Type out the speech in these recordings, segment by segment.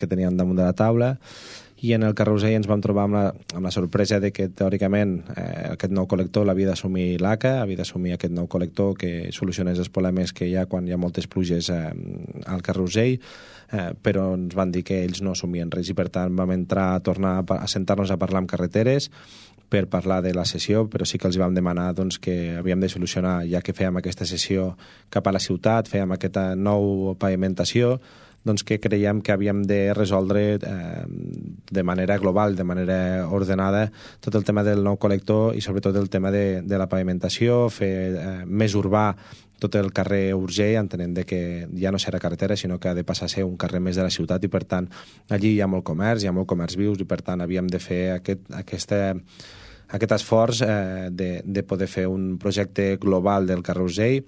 teníem damunt de la taula, i en el carrer Urgell ens vam trobar amb la sorpresa de que, teòricament, aquest nou col·lector l'havia d'assumir l'ACA, havia d'assumir aquest nou col·lector que solucionés els problemes que hi ha quan hi ha moltes pluges al carrer Urgell, però ens van dir que ells no assumien res i, per tant, vam tornar a sentar-nos a parlar amb Carreteres per parlar de la sessió, però sí que els vam demanar doncs, que havíem de solucionar, ja que fèiem aquesta sessió cap a la ciutat, fèiem aquesta nou pavimentació, doncs que creiem que havíem de resoldre de manera global, de manera ordenada, tot el tema del nou col·lector i sobretot el tema de la pavimentació, fer més urbà tot el carrer Urgell, entenent que ja no serà carretera, sinó que ha de passar a ser un carrer més de la ciutat i, per tant, allí hi ha molt comerç vius i, per tant, havíem de fer aquest esforç de poder fer un projecte global del carrer Urgell,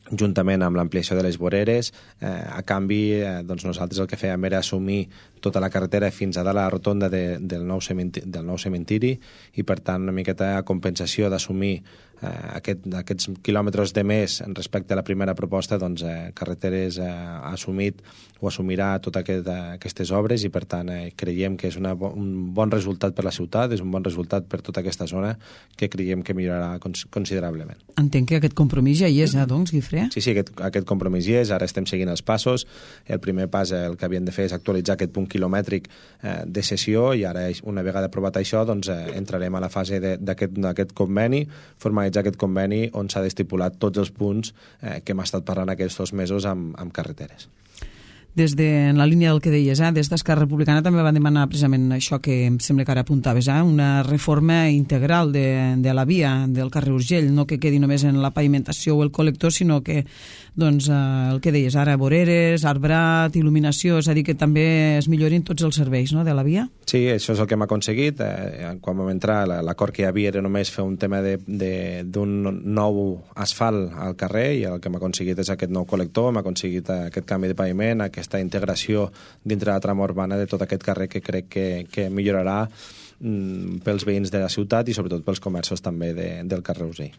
juntament amb l'ampliació de les voreres. A canvi, doncs nosaltres el que fèiem era assumir tota la carretera fins a dalt a la rotonda del nou cementiri i, per tant, una miqueta a compensació d'assumir aquests quilòmetres de més respecte a la primera proposta, doncs Carreteres ha assumit o assumirà totes aquestes obres i, per tant, creiem que és un bon resultat per la ciutat, és un bon resultat per tota aquesta zona que creiem que millorarà considerablement. Entenc que aquest compromís ja hi és, doncs, Guifré? Sí, aquest compromís hi és, ara estem seguint els passos. El primer pas, el que havien de fer és actualitzar aquest punt quilomètric de cessió i ara, una vegada aprovat això, doncs entrarem a la fase d'aquest conveni, formalitzar aquest conveni on s'ha d'estipular tots els punts que hem estat parlant aquests 2 mesos amb Carreteres. En la línia del que deies, des d'Esquerra Republicana també van demanar precisament això que em sembla que ara apuntaves, una reforma integral de la via del carrer Urgell, no que quedi només en la pavimentació o el col·lector, sinó que doncs, el que deies ara, voreres, arbrat, il·luminació, és a dir, que també es millorin tots els serveis, no?, de la via? Sí, això és el que hem aconseguit. Quan vam entrar, l'acord que hi havia era només fer un tema d'un nou asfalt al carrer i el que hem aconseguit és aquest nou col·lector, hem aconseguit aquest canvi de paviment, aquesta integració dintre de la trama urbana de tot aquest carrer que crec que millorarà pels veïns de la ciutat i sobretot pels comerços també del carrer Urgell.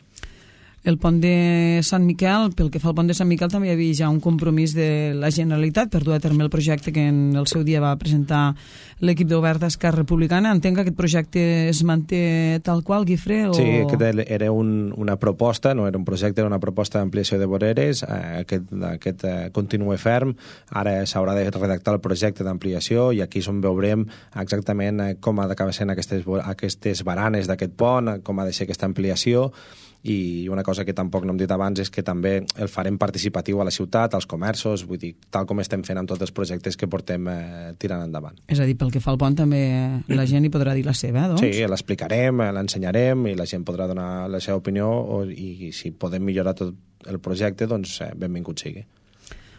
El pont de Sant Miquel, pel que fa al pont de Sant Miquel, també hi havia ja un compromís de la Generalitat per dur a terme el projecte que en el seu dia va presentar l'equip de govern d'Esquerra Republicana. Entenc que aquest projecte es manté tal qual, Guifré? Sí, aquest era una proposta, no era un projecte, era una proposta d'ampliació de voreres. Aquest continua ferm. Ara s'haurà de redactar el projecte d'ampliació i aquí és on veurem exactament com ha d'acabar sent aquestes baranes d'aquest pont, com ha de ser aquesta ampliació. I una cosa que tampoc no hem dit abans és que també el farem participatiu a la ciutat, als comerços, vull dir, tal com estem fent amb tots els projectes que portem tirant endavant. És a dir, pel que fa al pont també la gent hi podrà dir la seva, doncs? Sí, l'explicarem, l'ensenyarem i la gent podrà donar la seva opinió i si podem millorar tot el projecte, doncs benvingut sigui.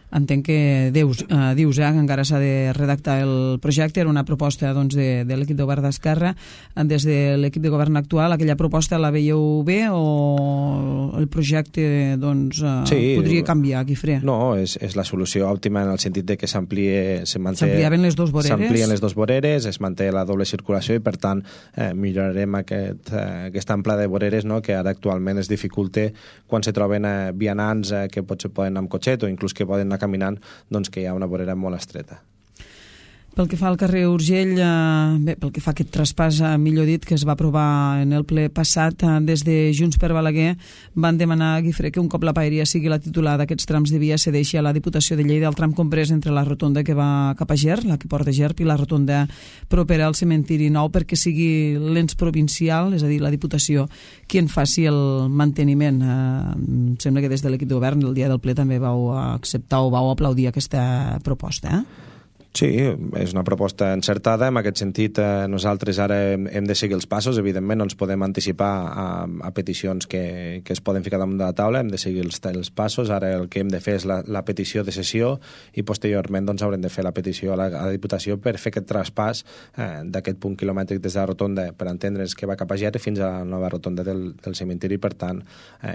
Entenc que dius que encara s'ha de redactar el projecte, era una proposta doncs, de l'equip de govern d'Esquerra. Des de l'equip de govern actual, aquella proposta la veieu bé o el projecte doncs, podria canviar, Guifré? No, és la solució òptima en el sentit de que s'ampliaven les dues voreres. S'amplien les dues voreres, es manté la doble circulació i, per tant, millorarem aquesta amplada de voreres, no?, que ara actualment es dificulta quan se troben vianants que potser poden anar amb cotxet o inclús que poden anar caminant, doncs que hi ha una vorera molt estreta. Pel que fa al carrer Urgell, pel que fa a aquest traspàs, millor dit, que es va aprovar en el ple passat, des de Junts per Balaguer van demanar, Guifré, que un cop la paeria sigui la titular d'aquests trams de via cedeixi a la Diputació de Lleida el tram comprès entre la rotonda que va cap a Ger, la que porta Gerp, i la rotonda propera al cementiri nou, perquè sigui l'ens provincial, és a dir, la Diputació, qui en faci el manteniment. Em sembla que des de l'equip de govern el dia del ple també vau acceptar o vau aplaudir aquesta proposta, Sí, és una proposta encertada. En aquest sentit, nosaltres ara hem de seguir els passos. Evidentment, no ens podem anticipar a peticions que es poden ficar damunt de la taula. Hem de seguir els passos. Ara el que hem de fer és la petició de cessió i posteriorment doncs, haurem de fer la petició a la Diputació per fer aquest traspàs d'aquest punt quilomètric des de la rotonda, per entendre's que va cap a Ger fins a la nova rotonda del cementiri. Per tant,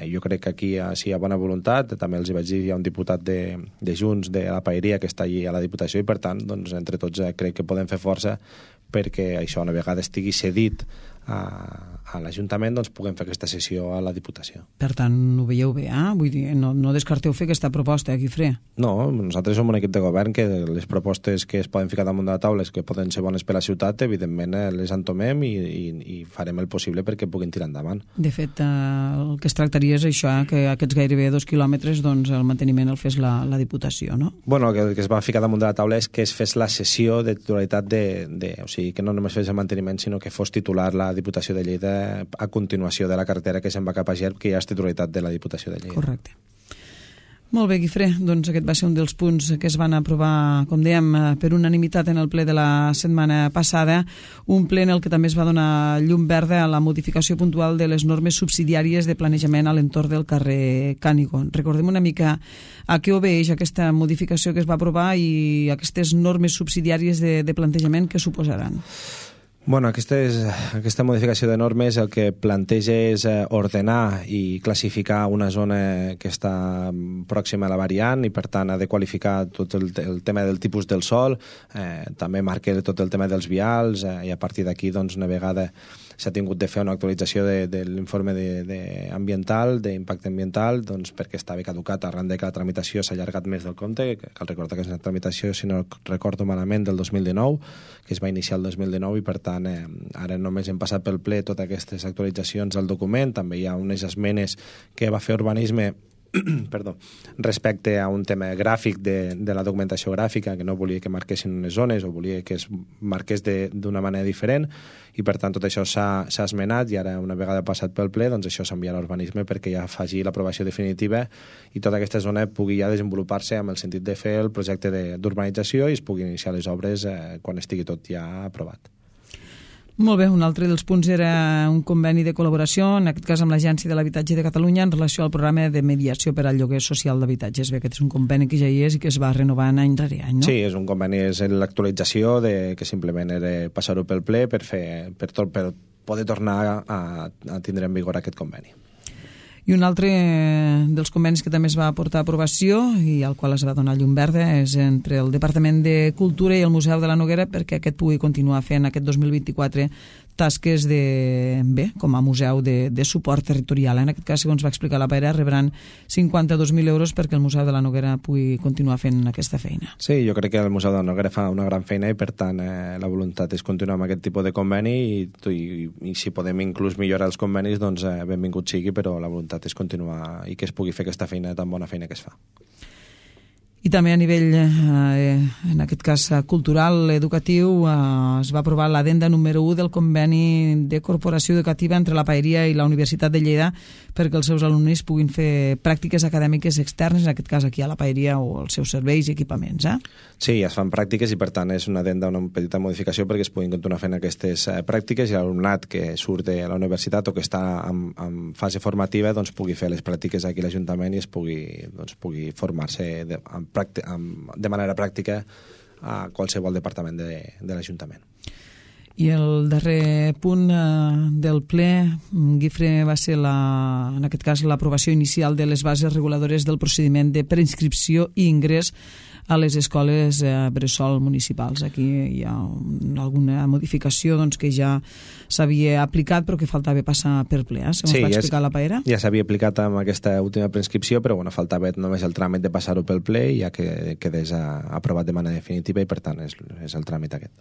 jo crec que aquí sí hi ha bona voluntat. També els hi vaig dir, hi ha un diputat de Junts, de la Paeria, que està allí a la Diputació i, per tant, doncs, entre tots crec que podem fer força perquè això una vegada estigui cedit a l'Ajuntament, doncs puguem fer aquesta sessió a la Diputació. Per tant, ho veieu bé, Vull dir, no descarteu fer aquesta proposta, Guifré. No, nosaltres som un equip de govern que les propostes que es poden ficar damunt de la taula, que poden ser bones per a la ciutat, evidentment les entomem i farem el possible perquè puguin tirar endavant. De fet, el que es tractaria és això, que aquests gairebé 2 quilòmetres, doncs el manteniment el fes la Diputació, no? Bueno, el que es va ficar damunt de la taula és que es fes la cessió de titularitat o sigui, que no només fes el manteniment, sinó que fos titular la Diputació de Lleida a continuació de la carretera que se'n va cap a Gerb, que ja és titularitat de la Diputació de Lleida. Correcte. Molt bé, Guifré, doncs aquest va ser un dels punts que es van aprovar, com dèiem, per unanimitat en el ple de la setmana passada, un ple en el que també es va donar llum verda a la modificació puntual de les normes subsidiàries de planejament a l'entorn del carrer Cànigo. Recordem una mica a què obeeix aquesta modificació que es va aprovar i aquestes normes subsidiàries de plantejament que suposaran. Bueno, aquesta modificació de normes el que planteja és ordenar i classificar una zona que està pròxima a la variant i, per tant, ha de qualificar tot el tema del tipus del sòl, també marca tot el tema dels vials i a partir d'aquí, doncs, una vegada s'ha tingut de fer una actualització de l'informe ambiental, d'impacte ambiental, doncs perquè estava caducat arran de que la tramitació s'ha allargat més del compte. Cal recordar que és una tramitació, si no recordo malament, del 2019, que es va iniciar el 2019 i, per tant, ara només hem passat pel ple totes aquestes actualitzacions al document. També hi ha unes esmenes que va fer Urbanisme respecte a un tema gràfic de la documentació gràfica, que no volia que marquessin unes zones o volia que es marqués d'una manera diferent i, per tant, tot això s'ha esmenat i ara, una vegada passat pel ple, doncs això s'enviarà a Urbanisme perquè ja faci l'aprovació definitiva i tota aquesta zona pugui ja desenvolupar-se amb el sentit de fer el projecte d'urbanització i es pugui iniciar les obres quan estigui tot ja aprovat. Molt bé, un altre dels punts era un conveni de col·laboració, en aquest cas amb l'Agència de l'Habitatge de Catalunya, en relació al programa de mediació per al lloguer social d'habitatges. Bé, aquest és un conveni que ja hi és i que es va renovant any rere any, no? Sí, és un conveni, és l'actualització que simplement era passar-ho pel ple per poder tornar a tindre en vigor aquest conveni. I un altre dels convenis que també es va portar a aprovació i al qual es va donar llum verda és entre el Departament de Cultura i el Museu de la Noguera perquè aquest pugui continuar fent aquest 2024 tasques com a museu de suport territorial. En aquest cas, segons va explicar la Pere, rebran 52.000 euros perquè el Museu de la Noguera pugui continuar fent aquesta feina. Sí, jo crec que el Museu de la Noguera fa una gran feina i, per tant, la voluntat és continuar amb aquest tipus de conveni i si podem inclús millorar els convenis, doncs benvingut sigui, però la voluntat és continuar i que es pugui fer aquesta feina, tan bona feina que es fa. I també a nivell, en aquest cas cultural, educatiu, es va aprovar l'addenda número 1 del conveni de corporació educativa entre la Paeria i la Universitat de Lleida perquè els seus alumnes puguin fer pràctiques acadèmiques externes, en aquest cas aquí a la Paeria o els seus serveis i equipaments. Sí, es fan pràctiques i, per tant, és una addenda, una petita modificació perquè es puguin continuar fent aquestes pràctiques i l'alumnat que surt de la universitat o que està en fase formativa doncs pugui fer les pràctiques aquí a l'Ajuntament i es pugui formar-se de manera pràctica a qualsevol departament de l'Ajuntament. I el darrer punt del ple, Guifré, va ser en aquest cas l'aprovació inicial de les bases reguladores del procediment de preinscripció i ingrés a les escoles bressol municipals. Aquí hi ha alguna modificació que ja s'havia aplicat però que faltava passar per ple, segons va explicar la Paera. Ja s'havia aplicat amb aquesta última preinscripció, però faltava només el tràmit de passar-ho pel ple i ja que quedés aprovat de manera definitiva i, per tant, és el tràmit aquest.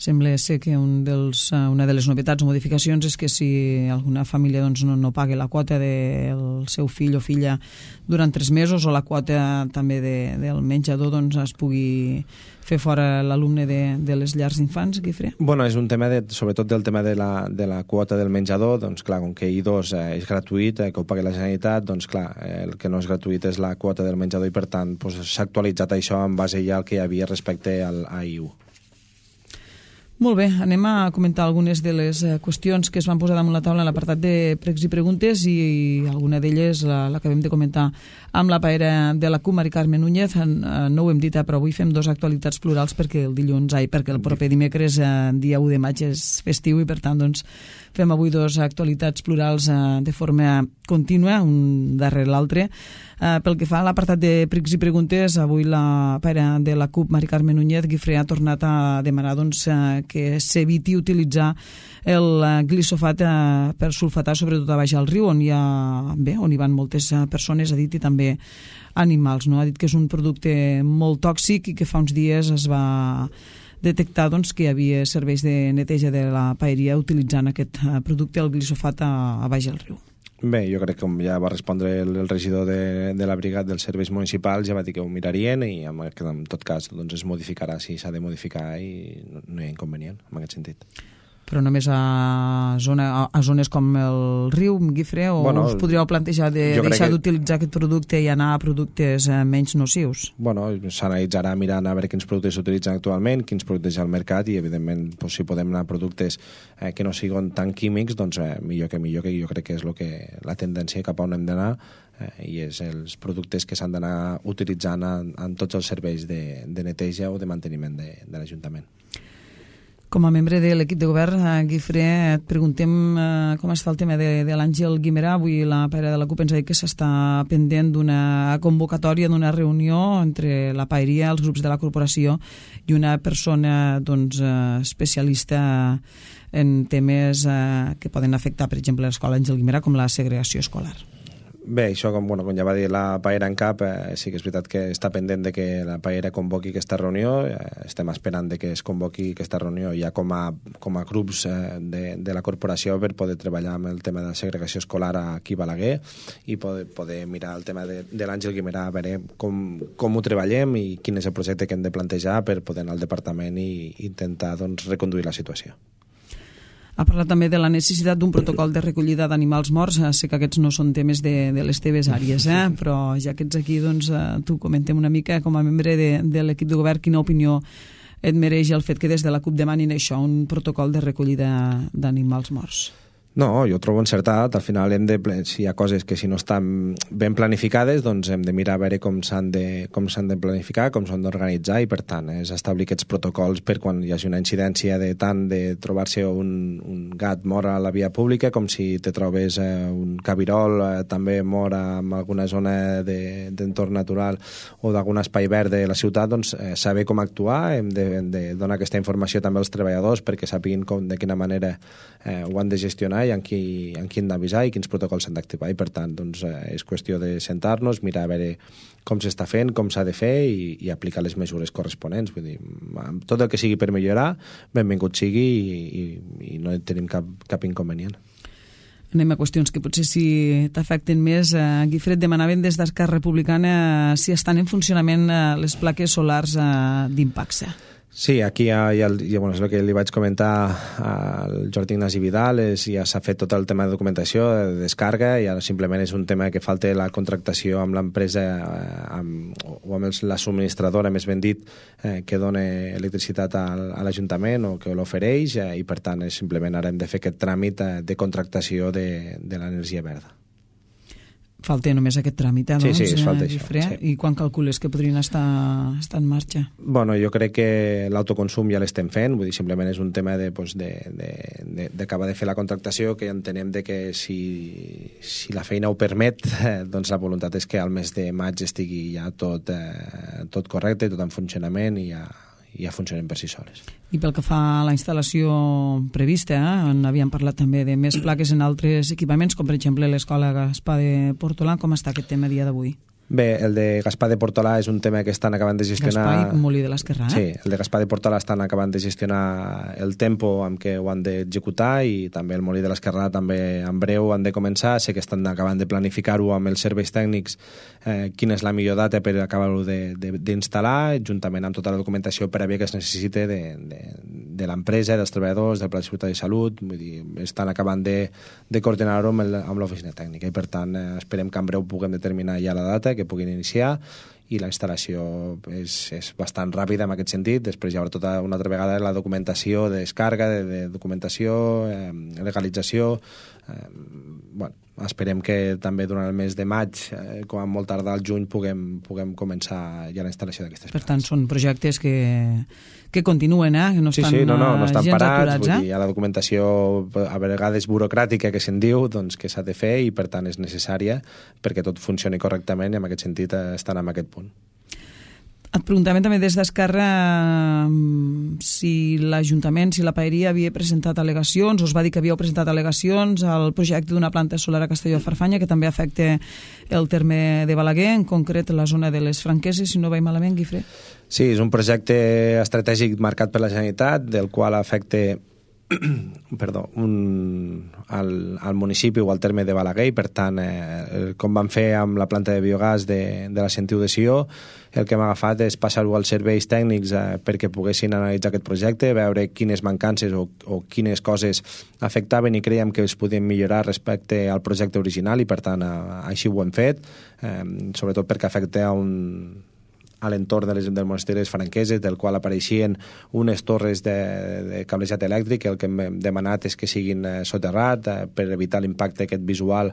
Sembla ser que una de les novetats o modificacions és que si alguna família no paga la quota del seu fill o filla durant 3 mesos o la quota també del menjador es pugui fer fora l'alumne de les llars d'infants, Guifré? Bueno, és un tema, sobretot del tema de la quota del menjador, doncs clar, com que I2 és gratuït, que ho pagui la Generalitat, doncs clar, el que no és gratuït és la quota del menjador i, per tant, s'ha actualitzat això en base ja al que hi havia respecte a I1. Molt bé, anem a comentar algunes de les qüestions que es van posar damunt la taula en l'apartat de pregs i preguntes i alguna d'elles l'acabem de comentar amb la Paera de la CUP, Mari Carme Núñez. No ho hem dit, però avui fem 2 actualitats plurals perquè el proper dimecres, dia 1 de maig, és festiu i per tant fem avui 2 actualitats plurals de forma contínua, un darrere l'altre. Pel que fa a l'apartat de pregs i preguntes, avui la Paera de la CUP, Mari Carme Núñez, Guifré, ha tornat a demanar que s'eviti utilitzar el glisofat per sulfatar, sobretot a baix al riu, on hi van moltes persones, ha dit, i també animals, no? Ha dit que és un producte molt tòxic i que fa uns dies es va detectar que hi havia serveis de neteja de la paeria utilitzant aquest producte, el glisofat, a baix al riu. Bé, jo crec que com ja va respondre el regidor de la brigada dels serveis municipals, ja va dir que ho mirarien i en tot cas es modificarà si s'ha de modificar i no hi ha inconvenient en aquest sentit. Però només a zones com el riu, Guifré, o us podríeu plantejar de deixar d'utilitzar aquest producte i anar a productes menys nocius? Bueno, s'analitzarà mirant a veure quins productes s'utilitzen actualment, quins productes hi ha al mercat i, evidentment, si podem anar a productes que no siguin tan químics, doncs millor, que jo crec que és la tendència cap a on hem d'anar i és els productes que s'han d'anar utilitzant en tots els serveis de neteja o de manteniment de l'Ajuntament. Com a membre de l'equip de govern, Guifré, et preguntem com està el tema de l'Àngel Guimerà. Avui la paera de la CUP ens ha dit que s'està pendent d'una convocatòria, d'una reunió entre la paeria, els grups de la corporació i una persona especialista en temes que poden afectar, per exemple, l'escola Àngel Guimerà, com la segregació escolar. Bé, això, com ja va dir la paera en cap, sí que és veritat que està pendent de que la paera convoqui aquesta reunió. Estem esperant de que es convoqui aquesta reunió ja com a grups de la corporació per poder treballar amb el tema de la segregació escolar aquí a Balaguer i poder mirar el tema de l'Àngel Guimerà, a veure com ho treballem i quin és el projecte que hem de plantejar per poder anar al departament i intentar reconduir la situació. Ha parlat també de la necessitat d'un protocol de recollida d'animals morts. Sé que aquests no són temes de les teves àrees, però ja que ets aquí, tu comentem una mica, com a membre de l'equip de govern, quina opinió et mereix el fet que des de la CUP demanin això, un protocol de recollida d'animals morts? No, jo ho trobo encertat. Al final si hi ha coses que si no estan ben planificades, doncs hem de mirar a veure com s'han de planificar, com s'han d'organitzar i, per tant, és establir aquests protocols per quan hi hagi una incidència de trobar-se un gat mort a la via pública, com si te trobes un cabirol també mort en alguna zona d'entorn natural o d'algun espai verd de la ciutat, doncs saber com actuar, hem de donar aquesta informació també als treballadors perquè sàpiguin de quina manera ho han de gestionar i en qui han d'avisar i quins protocols s'han d'activar i, per tant, és qüestió de sentar-nos, mirar a veure com s'està fent, com s'ha de fer i aplicar les mesures corresponents. Vull dir, tot el que sigui per millorar, benvingut sigui i no tenim cap inconvenient. Anem a qüestions que potser si t'afecten més. Guifré, demanaven des d'Esquerra Republicana si estan en funcionament les plaques solars d'Impacsa. Sí, aquí és el que li vaig comentar al Jordi Ignasi Vidal, ja s'ha fet tot el tema de documentació, de descarga, i ara simplement és un tema que falta la contractació amb l'empresa o amb la subministradora, més ben dit, que dona electricitat a l'Ajuntament o que l'ofereix, i per tant simplement ara hem de fer aquest tràmit de contractació de l'energia verda. Falta només aquest tràmit, Sí, es falta això. Sí. I quan calcules que podrien estar en marxa? Bueno, jo crec que l'autoconsum ja l'estem fent, vull dir, simplement és un tema d'acabar de fer la contractació, que entenem que si la feina ho permet, doncs la voluntat és que al mes de maig estigui ja tot correcte, tot en funcionament i ja funcionen per si soles. I pel que fa a la instal·lació prevista, on havíem parlat també de més plaques en altres equipaments, com per exemple l'Escola Gaspar de Portolà, com està aquest tema a dia d'avui? Bé, el de Gaspar de Portolà és un tema que estan acabant de gestionar... Gaspar i Molí de l'Esquerrà, Sí, el de Gaspar de Portolà estan acabant de gestionar el tempo amb què ho han d'executar i també el Molí de l'Esquerrà també en breu han de començar. Sé que estan acabant de planificar-ho amb els serveis tècnics quina és la millor data per acabar-ho d'instal·lar, juntament amb tota la documentació prèvia que es necessite de l'empresa, dels treballadors, del Pla de Seguretat i Salut. Vull dir, estan acabant de coordinar-ho amb l'oficina tècnica i, per tant, esperem que en breu puguem determinar ja la data que puguin iniciar i la instal·lació és bastant ràpida en aquest sentit. Després hi haurà tota una altra vegada la documentació de descarga, de documentació, legalització. Esperem que també durant el mes de maig, com a molt tardar al juny, puguem començar ja la instal·lació d'aquestes plaques. Per tant, són projectes que continuen, que no estan, no estan gens parats. aturats. Vull dir, hi ha la documentació a vegades burocràtica que se'n diu, doncs, que s'ha de fer i per tant és necessària perquè tot funcioni correctament i en aquest sentit estan en aquest punt. Et preguntàvem també des d'Esquerra si l'Ajuntament, si la Paeria havia presentat al·legacions, o es va dir que havíeu presentat al·legacions al projecte d'una planta solar a Castelló-Farfanya, que també afecta el terme de Balaguer, en concret la zona de les Franqueses, si no vaig malament, Guifré. Sí, és un projecte estratègic marcat per la Generalitat, del qual afecta al municipi o al terme de Balaguer, i per tant, com van fer amb la planta de biogàs de la Sentiu de Sió, el que hem agafat és passar-ho als serveis tècnics perquè poguessin analitzar aquest projecte, veure quines mancances o quines coses afectaven i creiem que es podien millorar respecte al projecte original, i per tant així ho hem fet, sobretot perquè afecta a l'entorn del monestir de les Franqueses, del qual apareixien unes torres de cablejat elèctric. El que hem demanat és que siguin soterrat per evitar l'impacte aquest visual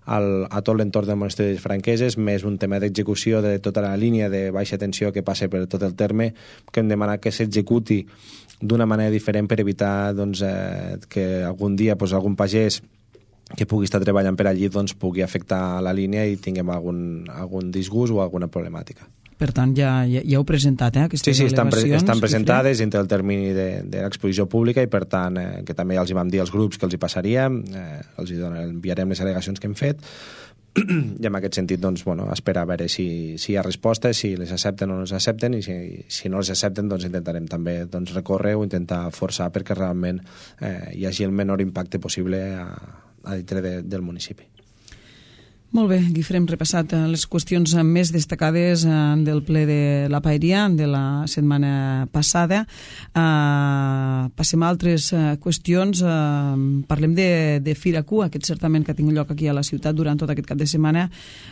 a tot l'entorn del monestir de les Franqueses, més un tema d'execució de tota la línia de baixa tensió que passa per tot el terme, que hem demanat que s'executi d'una manera diferent per evitar que algun dia algun pagès que pugui estar treballant per allí pugui afectar la línia i tinguem algun disgust o alguna problemàtica. Per tant, ja heu presentat aquestes al·legacions? Sí, estan presentades dintre del termini de l'exposició pública, i per tant, que també ja els hi vam dir als grups que els hi passaríem, els enviarem les al·legacions que hem fet, i en aquest sentit, esperar a veure si hi ha respostes, si les accepten o no les accepten, i si no les accepten, intentarem també recórrer o intentar forçar perquè realment hi hagi el menor impacte possible a dintre del municipi. Molt bé, Guifré, hem repassat les qüestions més destacades del ple de la Paeria de la setmana passada. Passem a altres qüestions. Parlem de Firacu, aquest certament que ha tingut lloc aquí a la ciutat durant tot aquest cap de setmana.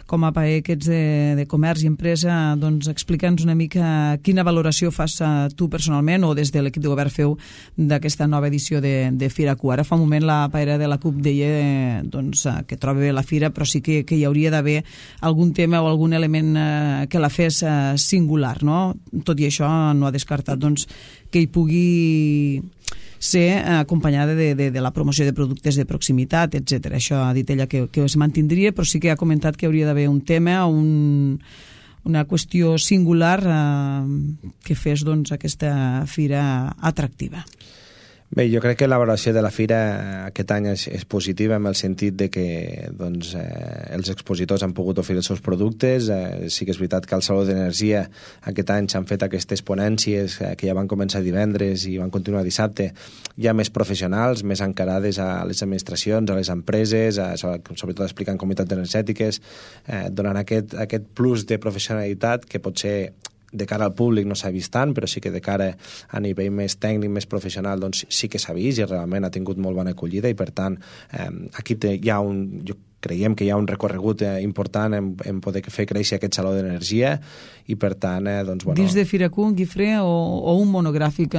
Com a paer aquests de comerç i empresa, explica'ns una mica quina valoració fas tu personalment o des de l'equip de govern feu d'aquesta nova edició de Firacu. Ara fa un moment la paera de la CUP deia que troba bé la fira, però sí que hi hauria d'haver algun tema o algun element que la fes singular, no? Tot i això no ha descartat que hi pugui ser acompanyada de la promoció de productes de proximitat, etc. Això ha dit ella que es mantindria, però sí que ha comentat que hauria d'haver un tema o una qüestió singular que fes aquesta fira atractiva. Bé, jo crec que la valoració de la fira aquest any és positiva, en el sentit de que els expositors han pogut oferir els seus productes. Sí que és veritat que al Saló d'Energia aquest any s'han fet aquestes ponències que ja van començar divendres i van continuar dissabte, ja més professionals, més encarades a les administracions, a les empreses, sobretot explicant comunitats energètiques, donant aquest plus de professionalitat que potser de cara al públic no s'ha vist tant, però sí que de cara a nivell més tècnic, més professional, sí que s'ha vist i realment ha tingut molt bona acollida, i per tant aquí creiem que hi ha un recorregut important en poder fer créixer aquest saló d'energia, i per tant Dins de Firacu, Guifré, o un monogràfic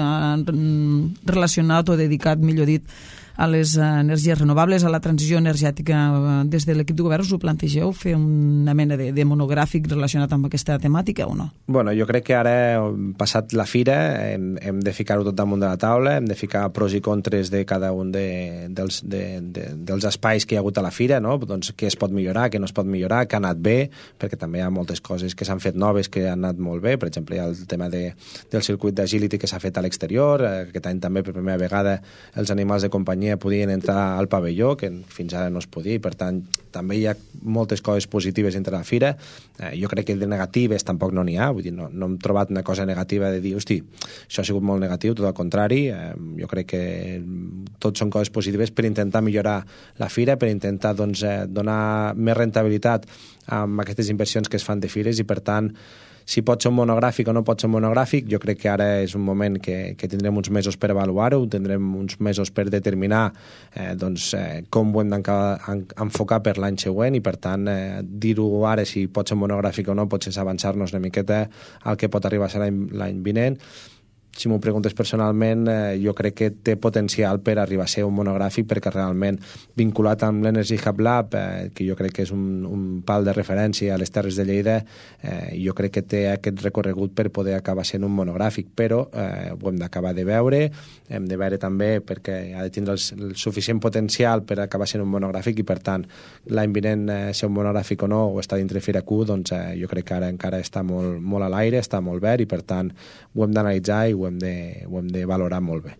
relacionat o dedicat, millor dit, a les energies renovables, a la transició energètica, des de l'equip de govern us ho plantegeu fer una mena de monogràfic relacionat amb aquesta temàtica o no? Bueno, jo crec que ara, passat la fira, hem de ficar-ho tot damunt de la taula, hem de ficar pros i contres de cada un dels espais que hi ha hagut a la fira, no? Què es pot millorar, què no es pot millorar, què ha anat bé, perquè també hi ha moltes coses que s'han fet noves que han anat molt bé. Per exemple, hi ha el tema del circuit d'agility que s'ha fet a l'exterior. Aquest any també per primera vegada els animals de companyia podien entrar al pavelló, que fins ara no es podia, i per tant també hi ha moltes coses positives entre la fira. Jo crec que de negatives tampoc no n'hi ha, vull dir, no hem trobat una cosa negativa de dir, hosti, això ha sigut molt negatiu, tot al contrari. Jo crec que tot són coses positives per intentar millorar la fira, per intentar donar més rentabilitat amb aquestes inversions que es fan de fires, i per tant, si pot ser un monogràfic o no pot ser un monogràfic, jo crec que ara és un moment que tindrem uns mesos per avaluar-ho, tindrem uns mesos per determinar com ho hem d'enfocar per l'any següent, i per tant dir-ho ara si pot ser monogràfic o no potser és avançar-nos una miqueta al que pot arribar a ser l'any vinent. si m'ho preguntes personalment, jo crec que té potencial per arribar a ser un monogràfic, perquè realment vinculat amb l'Energy Hub Lab, que jo crec que és un pal de referència a les Terres de Lleida, jo crec que té aquest recorregut per poder acabar sent un monogràfic, però ho hem d'acabar de veure, hem de veure també perquè ha de tindre el suficient potencial per acabar sent un monogràfic i, per tant, l'any vinent ser un monogràfic o no, o està dintre Fira Q, doncs jo crec que ara encara està molt a l'aire, està molt verd i, per tant, ho hem d'analitzar i ho hem de valorar molt bé.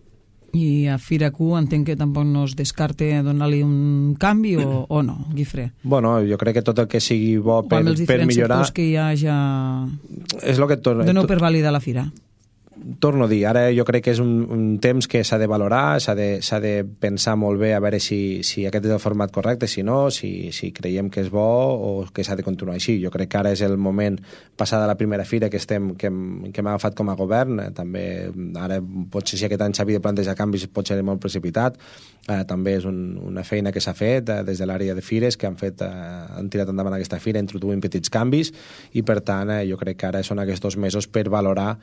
I a Fira Q entenc que tampoc no es descarte donar-li un canvi o no, Guifré? Bueno, jo crec que tot el que sigui bo per millorar... Amb els diferents sectors que hi ha ja... És el que doneu per validar la Fira. Torno a dir, ara jo crec que és un temps que s'ha de valorar, s'ha de pensar molt bé a veure si aquest és el format correcte, si no, si creiem que és bo o que s'ha de continuar així. Jo crec que ara és el moment, passada la primera fira que hem agafat com a govern, també ara potser si aquest any s'havia de plantejar canvis pot ser molt precipitat, també és una feina que s'ha fet des de l'àrea de fires que han tirat endavant aquesta fira introduint petits canvis i, per tant, jo crec que ara són aquests 2 mesos per valorar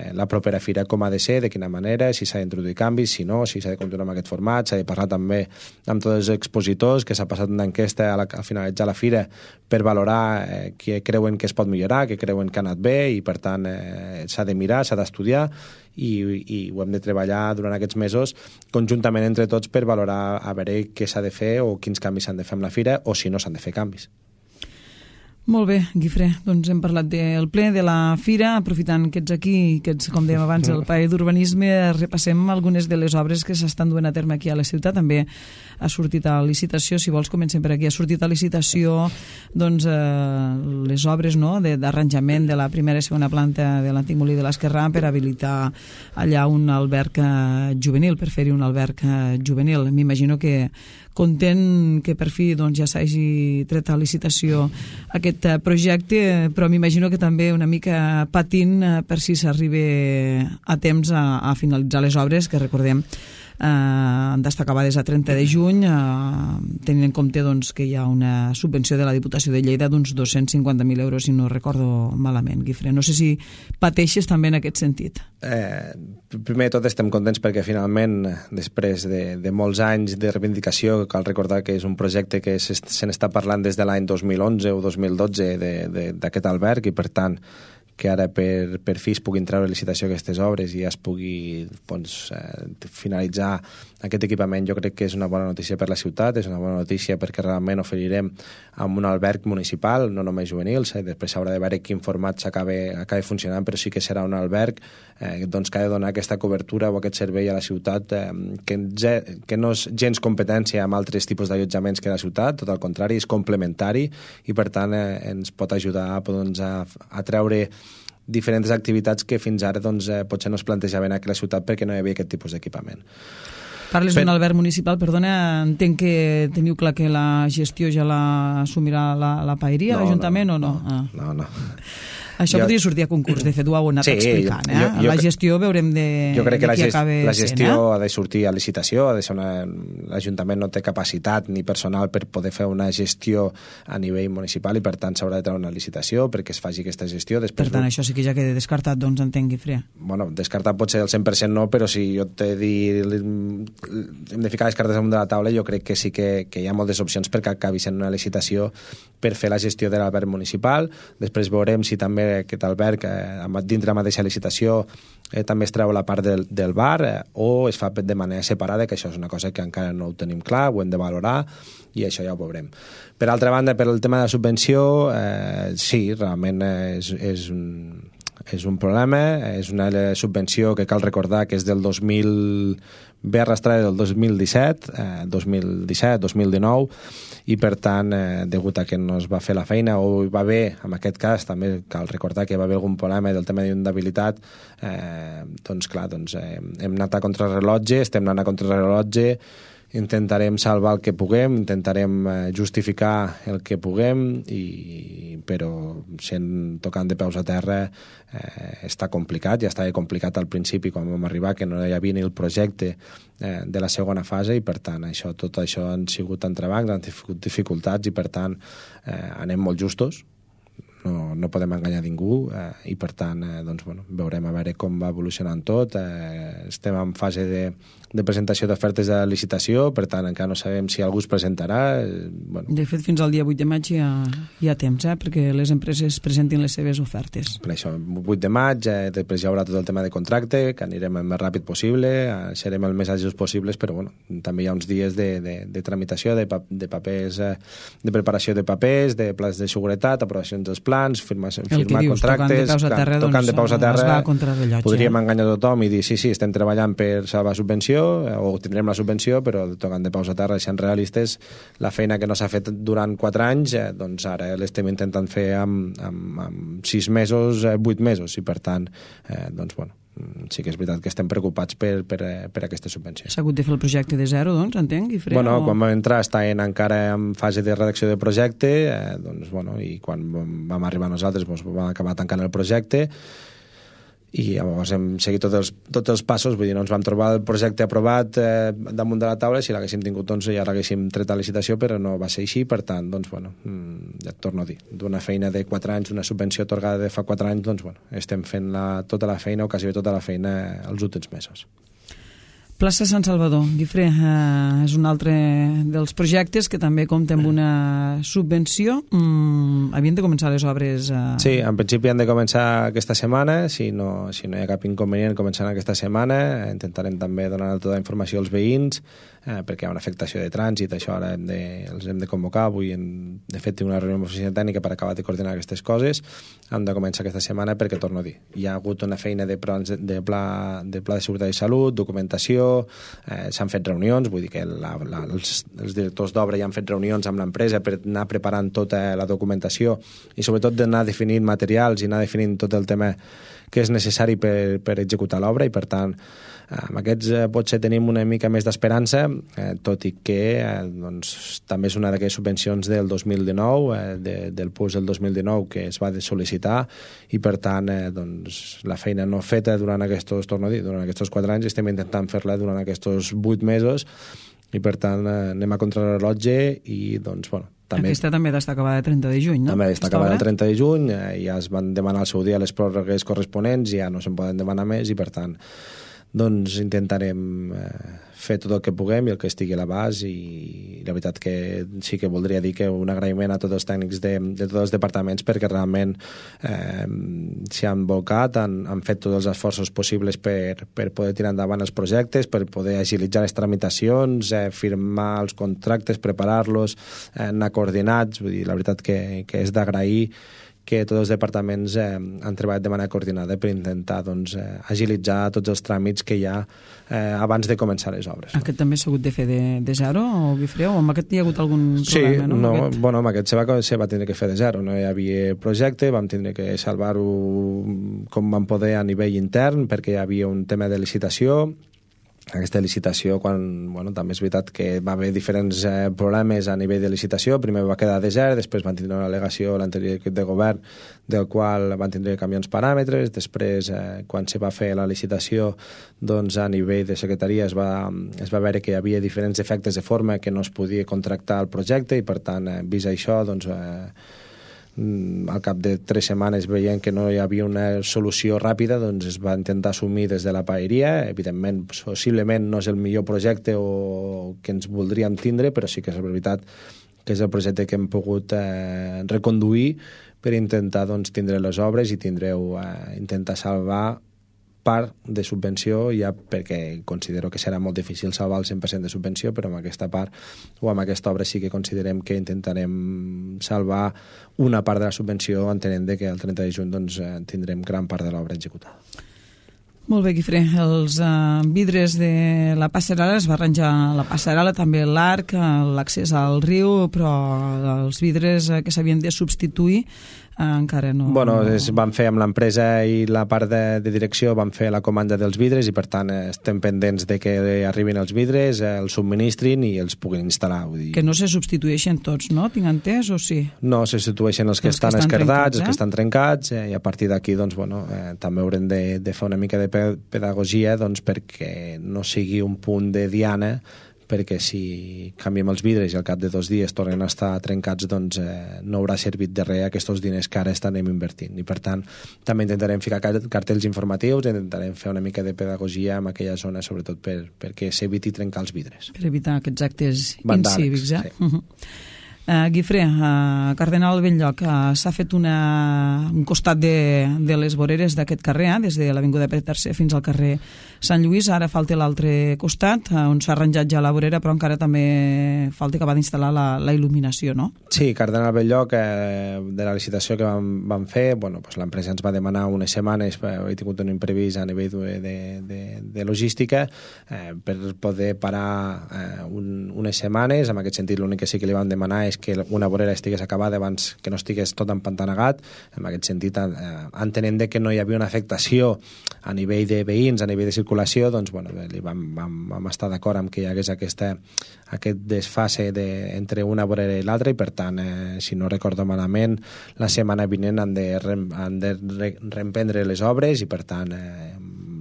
la propera fira com ha de ser, de quina manera, si s'ha d'introduir canvis, si no, si s'ha de continuar amb aquest format, s'ha de parlar també amb tots els expositors, que s'ha passat una enquesta al finalitzar la fira per valorar què creuen que es pot millorar, què creuen que ha anat bé i, per tant, s'ha de mirar, s'ha d'estudiar i ho hem de treballar durant aquests mesos conjuntament entre tots per valorar a veure què s'ha de fer o quins canvis s'han de fer amb la fira o si no s'han de fer canvis. Molt bé, Guifré, doncs hem parlat del ple, de la fira, aprofitant que ets aquí, que ets, com dèiem abans, el paer d'urbanisme, repassem algunes de les obres que s'estan duent a terme aquí a la ciutat. També ha sortit a licitació, si vols comencem per aquí, ha sortit a licitació doncs, les obres d'arranjament de la primera i segona planta de l'antic molí de l'Esquerrà per habilitar allà un alberg juvenil, per fer-hi un alberg juvenil. M'imagino que content que per fi ja s'hagi tret a licitació aquest projecte, però m'imagino que també una mica patint per si s'arriba a temps a finalitzar les obres, que recordem han d'estar acabades a 30 de juny, tenint en compte que hi ha una subvenció de la Diputació de Lleida d'uns 250.000 euros, si no recordo malament, Guifré. No sé si pateixes també en aquest sentit. Primer de tot estem contents perquè finalment, després de molts anys de reivindicació, cal recordar que és un projecte que se n'està parlant des de l'any 2011 o 2012 d'aquest alberg i, per tant, que ara per fi es puguin treure a licitació aquestes obres i es pugui finalitzar aquest equipament, jo crec que és una bona notícia per la ciutat, és una bona notícia perquè realment oferirem amb un alberg municipal, no només juvenils, després s'haurà de veure quin format s'acabi funcionant, però sí que serà un alberg que ha de donar aquesta cobertura o aquest servei a la ciutat que no és gens competència amb altres tipus d'allotjaments que la ciutat, tot al contrari, és complementari i, per tant, ens pot ajudar a treure diferents activitats que fins ara potser no es plantejaven aquí a la ciutat perquè no hi havia aquest tipus d'equipament. Parles d'un alberg municipal, perdona, entenc que teniu clar que la gestió ja l'assumirà la paeria, l'Ajuntament o no? No. Això podria sortir a concurs, de fet ho heu anat explicant. La gestió veurem jo crec que la gestió sent, ha de sortir a licitació, l'Ajuntament no té capacitat ni personal per poder fer una gestió a nivell municipal i, per tant, s'haurà de treure una licitació perquè es faci aquesta gestió. Per tant, això sí que ja queda descartat, doncs entenc, Guifré. Bueno, descartat pot ser el 100% no, però si jo t'he dit hem de ficar les cartes damunt de la taula, jo crec que sí que hi ha moltes opcions perquè acabi sent una licitació per fer la gestió de l'alberg municipal. Després veurem si també aquest alberg dintre la mateixa licitació també es treu la part del bar o es fa de manera separada, que això és una cosa que encara no ho tenim clar, ho hem de valorar i això ja ho veurem. Per altra banda, per el tema de la subvenció, sí, realment és un problema, és una subvenció que cal recordar que és del ve arrastrada del 2017, 2019, i per tant, degut a que no es va fer la feina o hi va haver, en aquest cas també cal recordar que va haver algun problema del tema d'inundabilitat, hem anat a contrarrellotge, estem anant a contrarrellotge, intentarem salvar el que puguem, intentarem justificar el que puguem, però tocant de peus a terra està complicat, ja estava complicat al principi quan vam arribar, que no hi havia ni el projecte de la segona fase i, per tant, tot això han sigut entrebancs, han sigut dificultats i, per tant, anem molt justos. no podem enganyar ningú i per tant doncs, bueno, veurem a veure com va evolucionant tot. Estem en fase de presentació d'ofertes de licitació, per tant encara no sabem si algú es presentarà. Bueno. De fet, fins al dia 8 de maig hi ha temps, perquè les empreses presentin les seves ofertes. Per això, 8 de maig, després hi haurà tot el tema de contracte, que anirem el més ràpid possible, serem el més àgils possibles, però bueno, també hi ha uns dies de tramitació, de papers, de preparació de papers, de plans de seguretat, aprovacions dels plans, firmar contractes, tocant de peus a terra, podríem enganyar tothom i dir sí, estem treballant per salvar subvenció o tindrem la subvenció, però tocant de peus a terra, sent realistes, la feina que no s'ha fet durant 4 anys, doncs ara l'estem intentant fer amb 6 mesos, 8 mesos, i per tant, doncs bueno, sí que és veritat que estem preocupats per aquesta subvenció. S'ha hagut de fer el projecte de zero, doncs, entenc, Guifré? Bueno, quan vam entrar encara en fase de redacció de projecte, doncs, bueno, i quan vam arribar nosaltres doncs, vam acabar tancant el projecte i llavors hem seguit tots els passos, vull dir, no ens vam trobar el projecte aprovat damunt de la taula, si l'haguéssim tingut doncs ja l'haguéssim tret a licitació, però no va ser així, per tant, doncs, bueno, ja et torno a dir, d'una feina de 4 anys, una subvenció atorgada de fa 4 anys, doncs, bueno, estem fent tota la feina, o quasi tota la feina els últims mesos. Plaça Sant Salvador, Guifré, és un altre dels projectes que també compta amb una subvenció. Havien de començar les obres... Sí, en principi han de començar aquesta setmana, si no hi ha cap inconvenient començant aquesta setmana. Intentarem també donar tota la informació als veïns, perquè hi ha una afectació de trànsit, això ara els hem de convocar. Avui, de fet, tinc una reunió amb l'oficina tècnica per acabar de coordinar aquestes coses. Han de començar aquesta setmana perquè, torno a dir, hi ha hagut una feina de pla de seguretat i salut, documentació, s'han fet reunions, vull dir que els directors d'obra ja han fet reunions amb l'empresa per anar preparant tota la documentació i sobretot d'anar definint materials i anar definint tot el tema que és necessari per executar l'obra, i per tant amb aquests potser tenim una mica més d'esperança, tot i que doncs, també és una d'aquelles subvencions del 2019, del PUS del 2019 que es va sol·licitar, i per tant doncs, la feina no feta durant aquests 4 anys estem intentant fer-la durant aquests 8 mesos, i per tant anem a contrarrellotge i doncs bueno, aquesta també està acabada el 30 de juny, no? També està acabada el 30 de juny, ja es van demanar al seu dia les pròrrogues corresponents, ja no se'n poden demanar més, i per tant doncs intentarem fer tot el que puguem i el que estigui a l'abast, i la veritat que sí que voldria dir que un agraïment a tots els tècnics de tots els departaments, perquè realment s'hi han volcat, han fet tots els esforços possibles per poder tirar endavant els projectes, per poder agilitzar les tramitacions, firmar els contractes, preparar-los, anar coordinats. Vull dir, la veritat que és d'agrair que tots els departaments han treballat de manera coordinada per intentar doncs, agilitzar tots els tràmits que hi ha abans de començar les obres. Aquest també s'ha hagut de fer de zero, o Guifré, o amb aquest hi ha hagut algun problema? Sí, no, bueno, amb aquest se va tindre que fer de zero, no hi havia projecte, vam tindre que salvar-ho com vam poder a nivell intern, perquè hi havia un tema de licitació. Aquesta licitació, també és veritat que va haver diferents problemes a nivell de licitació. Primer va quedar desert, després van tindre una al·legació l'anterior equip de govern, del qual van tindre que canviar uns paràmetres. Després, quan se va fer la licitació, doncs a nivell de secretaria es va veure que hi havia diferents defectes de forma que no es podia contractar el projecte, i per tant, vist això, doncs al cap de 3 setmanes, veient que no hi havia una solució ràpida, doncs es va intentar assumir des de la paeria. Evidentment, possiblement no és el millor projecte o que ens voldríem tindre, però sí que és veritat que és el projecte que hem pogut reconduir per intentar doncs, tindre les obres i intentar salvar part de subvenció, ja perquè considero que serà molt difícil salvar el 100% de subvenció, però amb aquesta part o amb aquesta obra sí que considerem que intentarem salvar una part de la subvenció, entenent que el 30 de juny doncs, tindrem gran part de l'obra executada. Molt bé, Guifré. Els vidres de la passarel·la, es va arranjar la passarel·la, també l'arc, l'accés al riu, però els vidres que s'havien de substituir encara no... Bueno, van fer amb l'empresa i la part de direcció, van fer la comanda dels vidres, i per tant estem pendents de que arribin els vidres, els subministrin i els puguin instal·lar. Vull dir... Que no se substitueixen tots, no? Tinc entès, o sí? No, se substitueixen els que estan esquerdats, els que estan trencats, i a partir d'aquí doncs, també haurem de fer una mica de pedagogia doncs, perquè no sigui un punt de diana perquè si canviem els vidres i al cap de 2 dies tornen a estar trencats, doncs no haurà servit de res aquests diners que ara estarem invertint. I per tant, també intentarem ficar cartells informatius, intentarem fer una mica de pedagogia en aquella zona, sobretot perquè s'eviti trencar els vidres. Per evitar aquests actes vandàlics, incívics, Sí. Guifré, a Cardenal Belllloc s'ha fet un costat de les voreres d'aquest carrer, des de l'Avinguda Pere III fins al carrer Sant Lluís. Ara falta l'altre costat, on s'ha arranjat ja la vorera, però encara també falta acabar d'instal·lar la il·luminació, no? Sí, Cardenal Belllloc, de la licitació que vam fer, l'empresa ens va demanar unes setmanes, he tingut un imprevist a nivell de logística, per poder parar unes setmanes. En aquest sentit, l'únic que sí que li vam demanar és que una vorera estigués acabada abans que no estigués tot empantanegat. En aquest sentit, entenent que no hi havia una afectació a nivell de veïns, a nivell de circulació, doncs vam estar d'acord amb que hi hagués aquest desfase entre una vorera i l'altra, i per tant, si no recordo malament, la setmana vinent han de reemprendre les obres, i per tant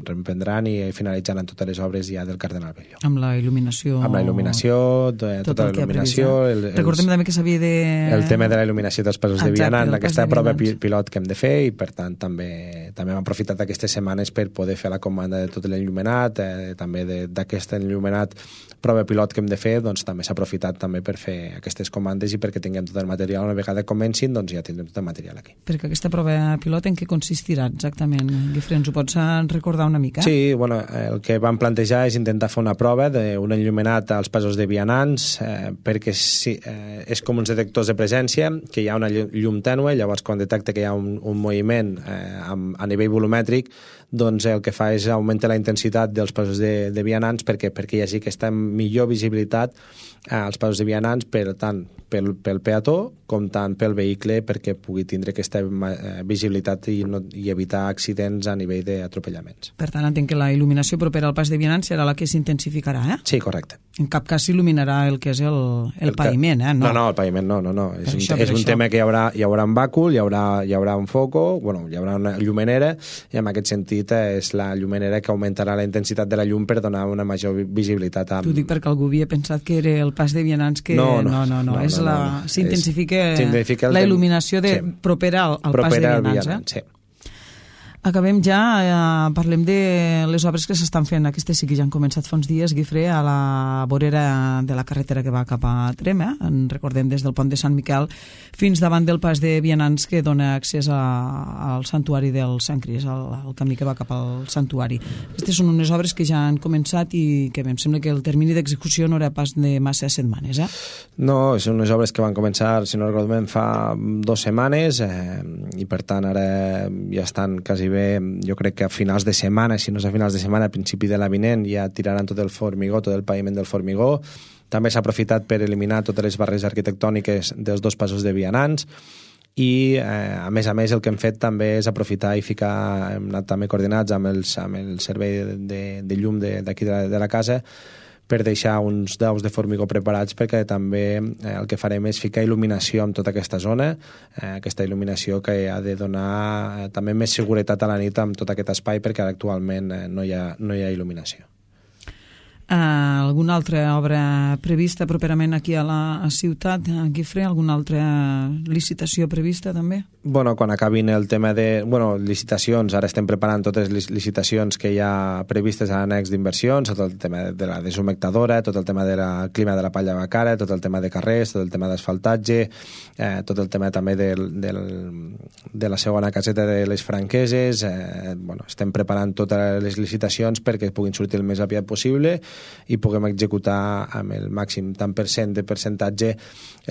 reemprendran i finalitzaran totes les obres ja del Cardenal Belllloc. Amb la il·luminació... Amb la il·luminació, tota la il·luminació... Recordem també que s'havia de... El tema de la il·luminació dels passos de vianant, aquesta prova pilot que hem de fer, i per tant també hem aprofitat aquestes setmanes per poder fer la comanda de tot l'enllumenat, també d'aquest enllumenat prova pilot que hem de fer, doncs també s'ha aprofitat també per fer aquestes comandes i perquè tinguem tot el material. Una vegada comencin, doncs ja tindrem tot el material aquí. Perquè aquesta prova pilot en què consistirà exactament? Guifré, ens ho pots recordar una mica? Sí, el que vam plantejar és intentar fer una prova d'un enllumenat als passos de vianants, perquè és com uns detectors de presència, que hi ha una llum tènue, llavors quan detecta que hi ha un moviment a nivell volumètric, doncs el que fa és augmentar la intensitat dels passos de vianants perquè hi hagi aquesta millor visibilitat als passos de vianants, tant pel peató com tant pel vehicle, perquè pugui tindre aquesta visibilitat i evitar accidents a nivell d'atropellaments. Per tant, entenc que la il·luminació propera al pas de vianants serà la que s'intensificarà, eh? Sí, correcte. En cap cas s'il·luminarà el que és el paviment, eh? No, el paviment no. És un tema que hi haurà un bàcul, hi haurà un foco, hi haurà una llumenera, i en aquest sentit és la llumenera que augmentarà la intensitat de la llum per donar una major visibilitat. T'ho dic perquè algú havia pensat que era el pas de vianants que... No. S'intensifica la il·luminació propera al pas de vianants, sí. Acabem ja, parlem de les obres que s'estan fent. Aquestes sí que ja han començat fa uns dies, Guifré, a la vorera de la carretera que va cap a Trem, en recordem des del pont de Sant Miquel fins davant del pas de vianants que dona accés al santuari del Sant Cris, al camí que va cap al santuari. Aquestes són unes obres que ja han començat i que em sembla que el termini d'execució no era pas de massa setmanes, eh? No, són unes obres que van començar, si no recordem, fa 2 setmanes, i per tant ara ja estan quasi bé, jo crec que a finals de setmana, si no és a finals de setmana, a principi de la vinent, ja tiraran tot el formigó, tot el paviment del formigó. També s'ha aprofitat per eliminar totes les barreres arquitectòniques dels 2 passos de vianants, i a més el que hem fet també és aprofitar i ficar, hem anat també coordinats amb el servei de llum d'aquí de la casa, per deixar uns daus de formigó preparats, perquè també el que farem és ficar il·luminació en tota aquesta zona, aquesta il·luminació que ha de donar també més seguretat a la nit amb tot aquest espai, perquè actualment no hi ha il·luminació. Alguna altra obra prevista properament aquí a la ciutat, Guifré? Alguna altra licitació prevista també? Quan acabin el tema de licitacions, ara estem preparant totes les licitacions que hi ha previstes a l'annex d'inversions, tot el tema de la deshumectadora, tot el tema del clima de la Palla Bacara, tot el tema de carrers, tot el tema d'asfaltatge, tot el tema també de la segona caseta de les franqueses. Estem preparant totes les licitacions perquè puguin sortir el més aviat possible i puguem executar amb el màxim tant % de percentatge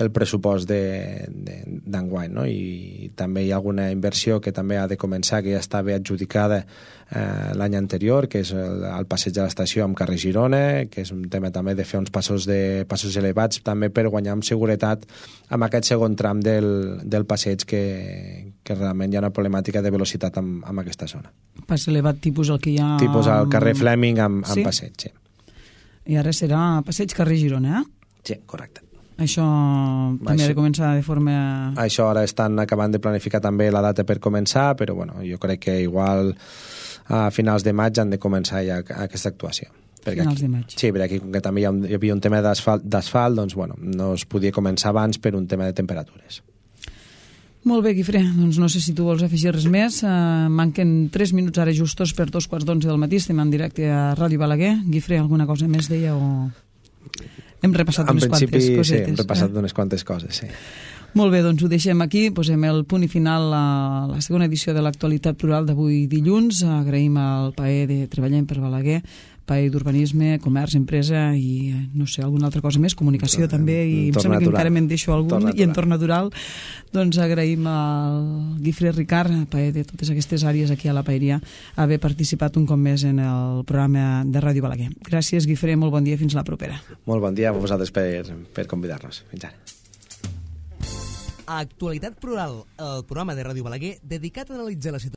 el pressupost d'enguany, no? I també hi ha alguna inversió que també ha de començar, que ja estava adjudicada l'any anterior, que és el passeig de l'estació amb carrer Girona, que és un tema també de fer uns passos elevats també per guanyar amb seguretat amb aquest segon tram del passeig, que realment hi ha una problemàtica de velocitat amb aquesta zona. Pas elevat tipus el que hi ha... Tipus al carrer Fleming amb passeig, sí. I ara serà passeig carrer Girona, Sí, correcte. Això també ha de començar de forma... Això ara estan acabant de planificar també la data per començar, però jo crec que igual a finals de maig han de començar ja aquesta actuació. Finals de maig. Sí, perquè aquí com que també hi havia un tema d'asfalt, doncs bueno, no es podia començar abans per un tema de temperatures. Molt bé, Guifré, doncs no sé si tu vols afegir res més. Manquen 3 minuts ara justos per 2:15 del matí, estem en directe a Ràdio Balaguer. Guifré, alguna cosa més deia o... Hem repassat unes quantes cosetes. Sí, hem repassat unes quantes coses, sí. Molt bé, doncs ho deixem aquí, posem el punt i final a la segona edició de l'Actualitat Plural d'avui dilluns. Agraïm al PAE de Treballem per Balaguer, PAE d'Urbanisme, Comerç, Empresa i no sé, alguna altra cosa més, comunicació també, i em sembla que encara me'n deixo algun, i entorn natural. Doncs agraïm al Guifré Ricard, PAE de totes aquestes àrees aquí a la Paeria, haver participat un cop més en el programa de Ràdio Balaguer. Gràcies, Guifré, molt bon dia, fins la propera. Molt bon dia a vosaltres per convidar-nos. Fins ara. Actualitat Plural, el programa de Ràdio Balaguer dedicat a analitzar la situació